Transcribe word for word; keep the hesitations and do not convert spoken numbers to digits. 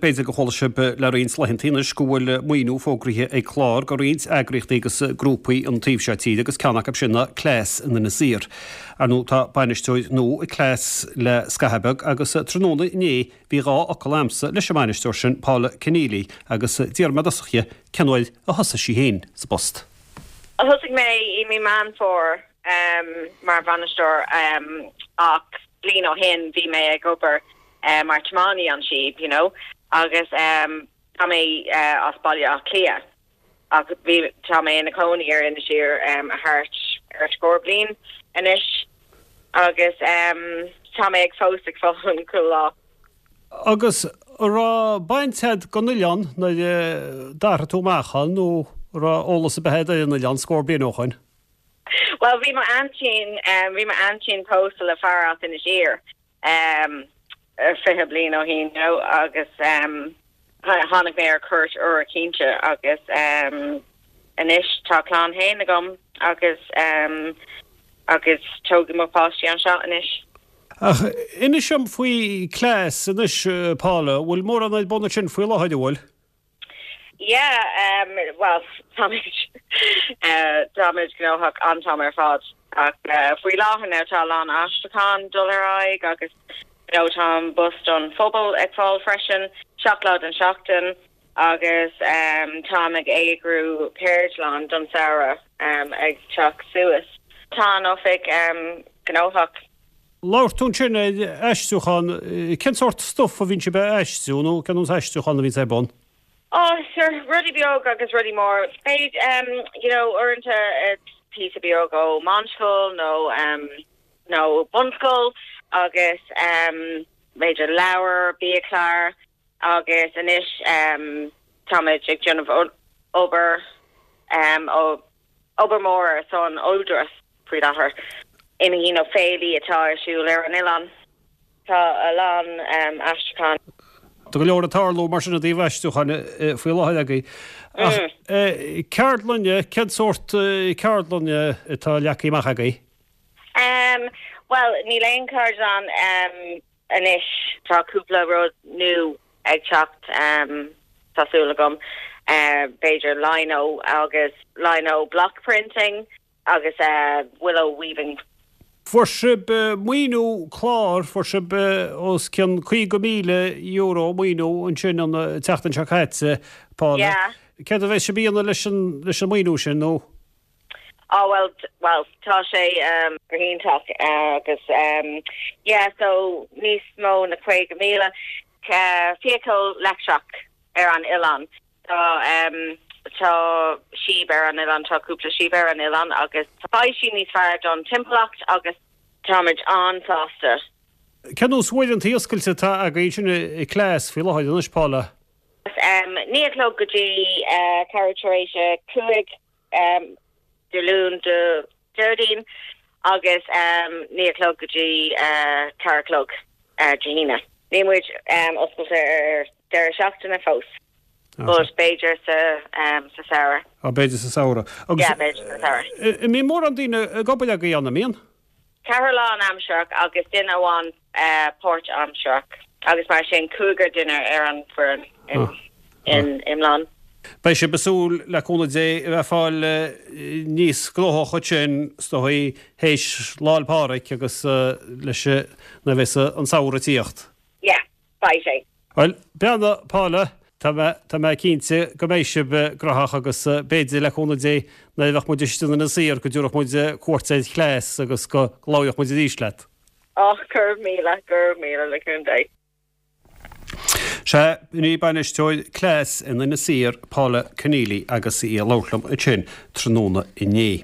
b'fhéidir go chuala sibh le roinnt laethanta anois go bhfuil maoiniú fógraithe ag clár go roinnt eagraíochtaí agus grúpaí an taobh seo tíre agus ceann acu sin ná Cleas in Inis Oírr. Ar ndóigh tá bainisteoir nua ag Cleas le scaitheamh beag agus tráthnóna inné bhí dhá fhocal a'msa leis an mbainisteoir sin Paula Keneally agus d'iarr mé i dtosach uirthi cén uair a thosaigh sí féin sa bpost. Thosaigh mé i mí Meán Fómhair um, mar bhainisteoir um, ach bliain ó shin bhí mé ag obair uh, mar tiománaí an síob, you know, agus um, tá mé uh, as Baile Átha Cliath ach bhí tá mé ina cónaí ar Inis Oírr um, a thart ar scór bliain anois agus um, tá mé ag fós ag foghlaim chuile lá. Agus raibh baint agat gon oileán nuair a d'athraigh tú amach ann nó raibh eolas ar bith agat ar an oileán scór bliain ó shin. Well bhí mo aintín um, bhí mo aintín pósta le fear as Inis Oírr um, fiche bliain ó shin no agus um, tháinig mé ar cuairt uair cinnte agus um, anois tá clann féin agam agus um, agus tógadh mo pháistí anseo anois. Ach inis dom faoi Cleas anois Paula, bhfuil mórán ar bun ansin faoi láthair bhfuil? Yeah, um, well táimid uh, táimid gnóthach an t-am ar fad ach uh, faoi láthair now tá lán aistriúchán dul ar aghaidh agus you know, tá an bus don phobal ag fáil freisin seacht lá den seachtain agus um, táim ag eagrú ceardlann don samhradh um, ag teacht suas. Tá an oifig um, gnóthach. Labhair tú ansin aistriúchán cén sórt stuff a bhíonn sibh ag aistriú nó cén aistriúchán a bhíonn ar bun? Oh, sure, rudaí beag agus rudaí mór. Beidh um, you know, uaireanta píosa beag ó meánscoil nó um, nó bunscoil agus um, b'fhéidir leabhar biachlár agus anois um, táimid ag déanamh obair um, ó obair mór ar son Údarás faoi láthair imeachtaí nó féilí atá ar siúl ar an oileán tá a lán um, aistriúchán. Tá go leor ag tarlú mar sin i dtaobh aistriúcháin faoi láthair agaibh. Mm. Ceardlanna cén sórt ceardlanna atá leagtha amach agaibh? Um, well, níl aon ceardlann um, anois tá cúpla rud nua ag teacht um, tá súil agam uh, b'fhéidir lino agus lino block printing agus uh, willow weaving. Fuair sibh maoiniú clár fuair sibh os cionn caoga míle euro maoiniú ansin an tseachtain seo caite Paula. Yeah. Céard a bheidh sibh a dhéanamh leis an leis an maoiniú sin nó? Oh well well tá sé um iontach uh, agus um yeah so níos mó ná caoga míle uh, feithicil leictreach ar an oileán tá um tá síob ar an oileán tá cúpla síob ar an oileán agus tá sí níos fearr don timpeallacht agus táimid an-sásta. Cén uaireanta oscailte atá agaibh sin i Cleas faoi láthair anois Paula? Um, naoi a chlog go dtí uh, ceathrú tar éis a cúig um, Dé Luain go Déardaoin agus um, naoi a chlog go dtí uh, ceathair a chlog uh, Dé hAoine. Níl muid um, oscailte ar deireadh seachtaine fós. But b'fhéidir sa um, sa samhradh. Á b'fhéidir sa samhradh. Yeah, b'fhéidir sa samhradh. An mbíonn mórán daoine ag obair agaibh an mbíonn? Ceathrar lánaimsearach agus duine amháin uh, páirtaimsearach agus mar sin cúigear duine ar an bhfoireann in, oh. in iomlán. Beidh sé besúil le cúnamh Dé a bheith fáil níos gnóthaí sin stothaí théis Lá 'le Pádraig agus leis na bheith an samhradh ag tíocht. Yeah, beidh sé. Well, beannacht Paula Tá tá mé cinnte go mbeidh sibh gnóthach agus b'fhéidir le cúnamh Dé nuair a bheidh muid istigh in Inis Oírr go dtabharfaidh muid cuairt ar Chleas agus go labhróidh muid arís leat. Á go raibh míle go raibh míle le cúnamh Dé. Sé ní bainisteoir Cleas in Inis Oírr Paula Keneally agus í ag labhairt liom ansin tráthnóna inné.